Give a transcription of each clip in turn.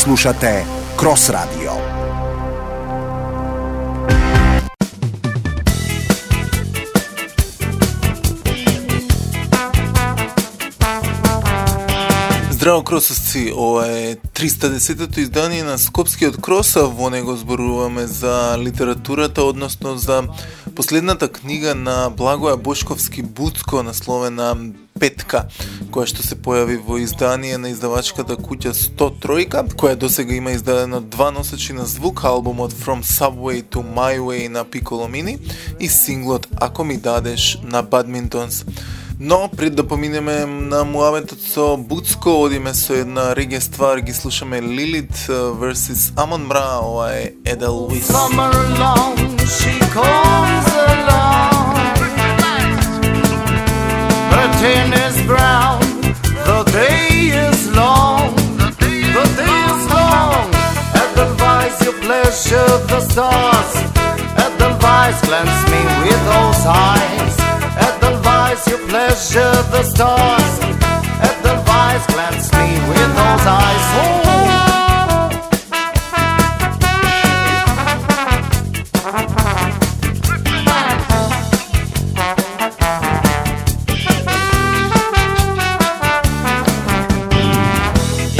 Слушате Крос Радио. Здраво кросовци, ова е 310-то издание на Скопскиот крос, а во него зборуваме за литературата, односно за последната книга на Благоја Бошковски-Буцко, насловена Петка, која што се појави во издание на издавачката куќа 103, која досега има издадено 2 носачи на звук, албумот From Subway to My Way на Piccolo Mini и синглот Ако ми дадеш на Badmintons. Но, пред да поминеме на муабетот со Буцко, одиме со една реге ствар, ги слушаме Lilith versus Amon Ra, ова е Edelweiss. Summer long, she comes along. Her tin is brown, the day is long. The day is long. Edelweiss, you pleasure the stars. Edelweiss, glance me with those eyes. Edelweiss, you pleasure the stars. Edelweiss, glance me with those eyes.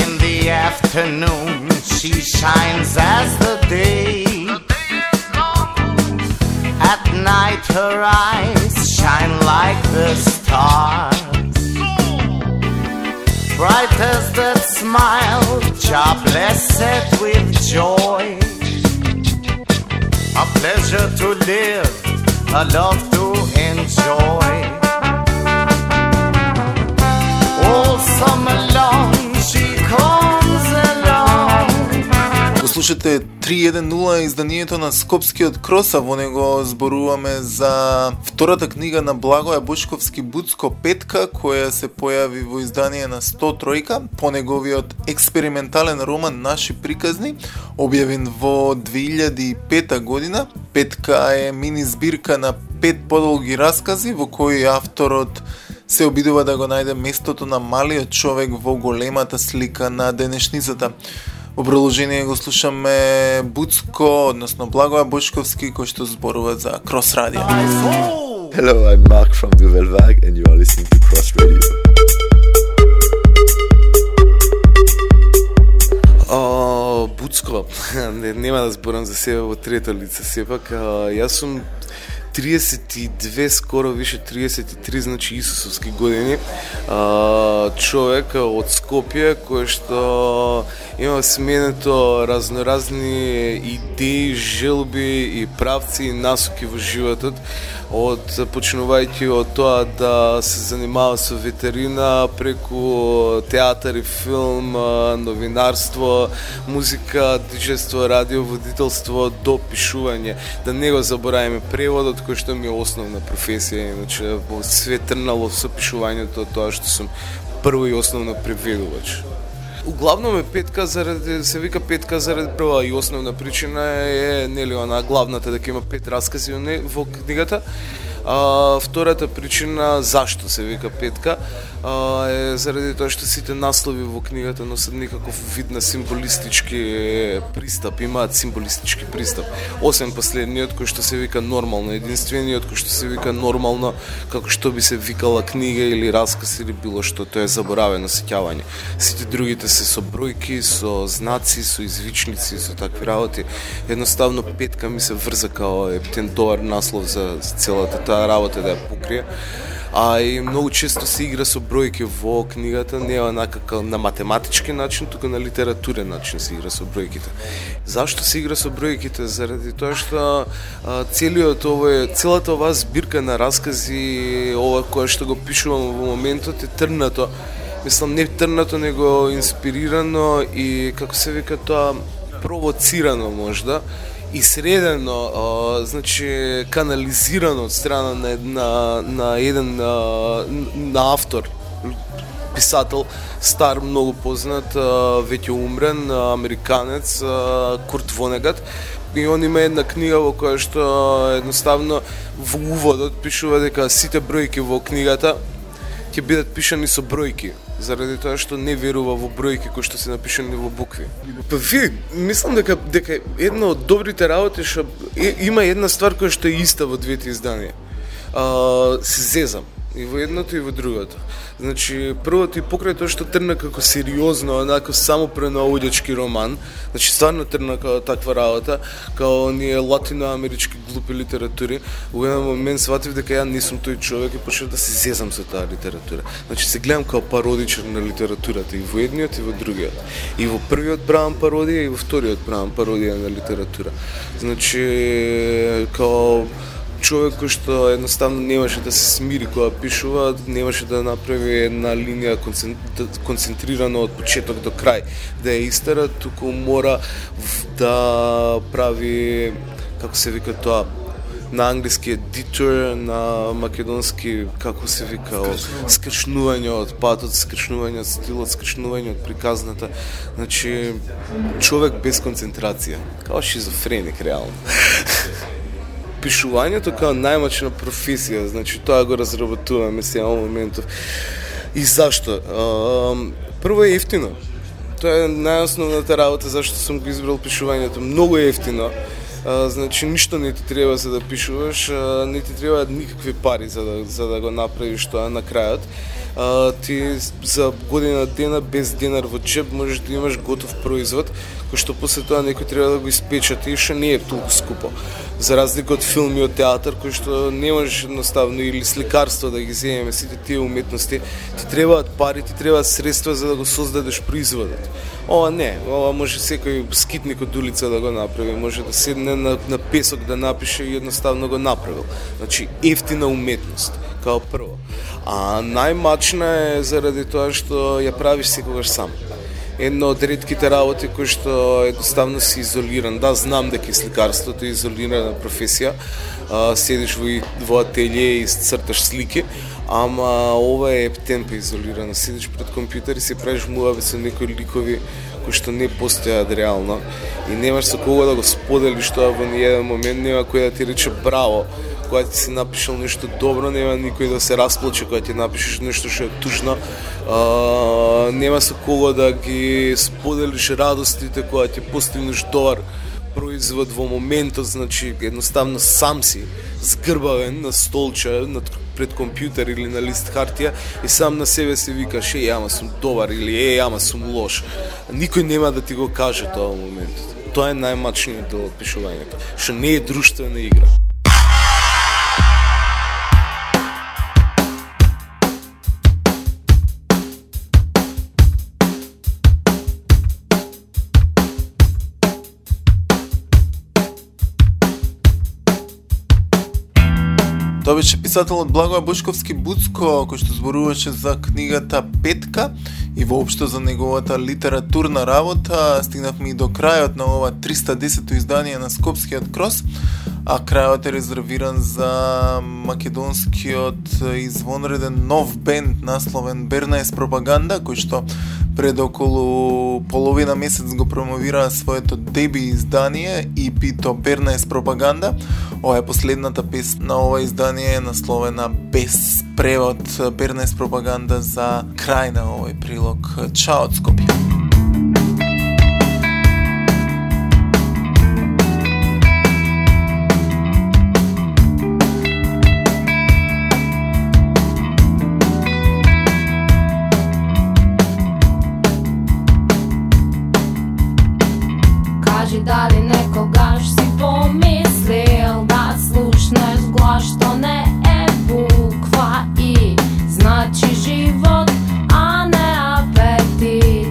In the afternoon, she shines as the day. At night, her eyes shine like the stars. Bright as that smile, jar blessed with joy. A pleasure to live, a love to enjoy. All summer long, she comes along. Слушате 310 изданието на Скопскиот крос, а во него зборуваме за втората книга на Благоја Бошковски-Буцко Петка, која се појави во издание на 103, по неговиот експериментален роман Наши приказни, објавен во 2005 година. Петка е мини збирка на 5 подолги раскази во кои авторот се обидува да го најде местото на малиот човек во големата слика на денешницата. Во продолжение го слушаме Буцко, односно Благоја Бошковски, кој што зборува за Крос Радио. Hello, I'm Mark from Nouvelle Vague and you are listening to Cross Radio. Буцко, нема да зборам за себе во трета лица, сепак, јас сум 32, скоро више 33, значи исусовски години, човек од Скопје кој што има сменето разноразни идеи, желби и правци и насоки во животот, почнувајќи од тоа да се занимава со ветерина, преку театар и филм, новинарство, музика, диџејство, радиоводителство, до пишување. Да не го забораваме преводот, кој што ми е основна професија, иначе све трнало со пишувањето, тоа што сум прво и основно преведувач. Углавно е Петка заради, се вика Петка заради прва и основна причина е, нели, она главната дека има 5 раскази во книгата. Втората причина зашто се вика Петка е заради тоа што сите наслови во книгата носат некаков вид на символистички пристап, имаат символистички пристап. Освен последниот кој што се вика нормално, единствениот кој што се вика нормално, како што би се викала книга или расказ или било што, тоа е заборавено сеќавање. Сите другите се со бројки, со знаци, со извичници, со такви работи. Едноставно Петка ми се врза као ептен добар наслов за целата таа работа да ја покрие. И многу често се игра со бројки во книгата, не онака на математички начин, туку на литературен начин се игра со бројките. Зашто се игра со бројките? Заради тоа што целата оваа збирка на раскази, ова која што го пишувам во моментот, е трнато. Мислам, не трнато, него инспирирано и, како се вика тоа, провоцирано можда. И средено, значи канализирано од страна на еден на автор, писател, стар, многу познат, веќе умрен, американец, Курт Вонегат. И он има една книга во која што едноставно во уводот пишува дека сите бројки во книгата ќе бидат пишани со бројки. заради тоа што не верува во бројки кои што се напишани во букви. Па ви, мислам дека една од добрите работи што има една ствар која што е иста во двете изданија. Се зезам и во едното и во другото. Значи, првото и покрај тоа што тргна како сериозно, онако само пренаоѓачки роман, значи стварно тргна како таква работа, како оние латиноамерички глупи литератури, во еден момент сватив дека ја не сум тој човек и почнав да се зезам со таа литература. Значи се гледам како пародичар на литературата и во едниот и во другиот. И во првиот правам пародија и во вториот правам пародија на литература. Значи, како човек кој што едноставно немаше да се смири кога пишува, немаше да направи една линија концентрирана од почеток до крај, да ја истера, туку мора да прави, како се вика тоа, на англиски detour, на македонски, како се вика, скршнување од патот, скршнување од стилот, скршнување од приказната. Значи, човек без концентрација, као шизофреник реално. Пишувањето како најмачна професија, значи тоа го разработуваме сега во моментов. И зашто? Прво е ефтино. Тоа е најосновната работа зашто сум го избрал пишувањето. Многу е ефтино. Значи ништо не ти треба за да пишуваш, не ти треба никакви пари за да го направиш тоа на крајот. Ти за година дена без денар во джеб можеш да имаш готов производ, кој што после тоа некој треба да го испечати и што не е толку скупо. За разлика од филм и од театар, кој што не можеш едноставно, или сликарство да ги земеме, сите тие уметности, ти требаат пари, ти требаат средства за да го создадеш производот. Ова не, ова може секој скитник од улица да го направи, може да седне на песок да напише и едноставно го направил. Значи, ефтина уметност, као прво. А најмачна е заради тоа што ја правиш секогаш сам. Едно од ретките работи кои што едноставно си изолиран. Да, знам дека сликарството е изолирана професија. Седиш во ателје и црташ слики, ама ова е темпо изолирано. Седиш пред компјутер и се правиш муабет со некои ликови кои што не постојат реално и немаш со кого да го споделиш тоа во ниеден момент, нема кој да ти рече браво. Кога ти си напишал нешто добро, нема никој да се расплаче кога ти напишеш нешто што е тужно. Нема со кого да ги споделиш радостите кога ти постигнеш добар производ во моментот, значи едноставно сам си згрбавен на столче пред компјутер или на лист хартија и сам на себе си викаш ама сум добар или ама сум лош. Никој нема да ти го каже тоа во моментот. Тоа е најмачниот дел од пишувањето, што не е друштвена игра. Тоа беше писателот Благоја Бошковски Буцко, кој што зборуваше за книгата Петка и воопшто за неговата литературна работа. Стигнавме и до крајот на ова 310-то издание на Скопскиот крос, а крајот е резервиран за македонскиот извонреден нов бенд насловен Бернаес Пропаганда, кој што пред околу половина месец го промовира своето деби издание EP-то Бернаес Пропаганда. Ова е последната песна на ова издание, е насловена без превод, Бернаес Пропаганда за крај на овој прилог. Чао од Скопје. Кажи дали некогаш си помислил да слушнеш глас што не е буква И, значи живот, а не апетит.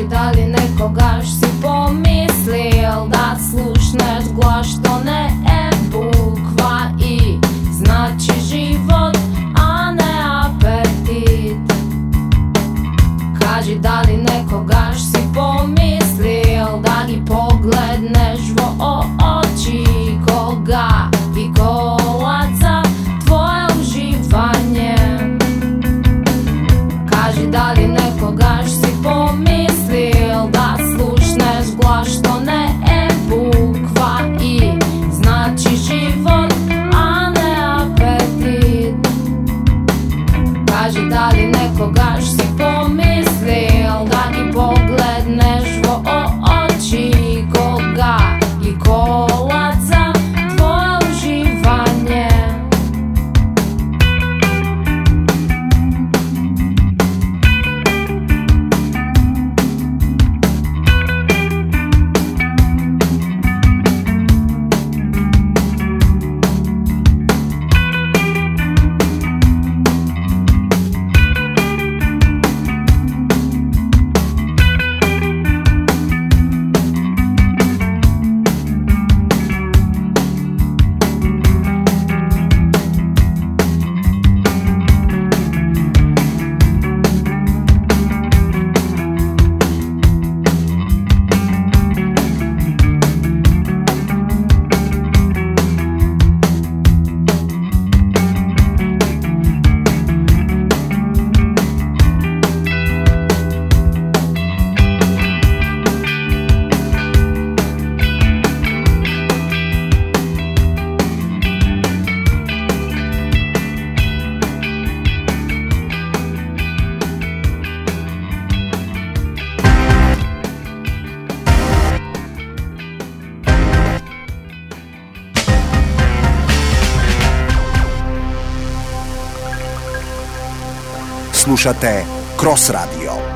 дали некогаш си помислил да слушнеш глас што не е буква И, значи живот, а не апетит. Кажи дали некогаш си помислил да ги погледнеш во очи кога виколат за твое уживање. Кажи дали некогаш си помислил да слушнеш глас што не е буква И, значи живот, а не апетит. Кажи дали некогаш си помислил да ги погледнеш во очи кога ги колат за твое уживање. Слушате Крос Радио.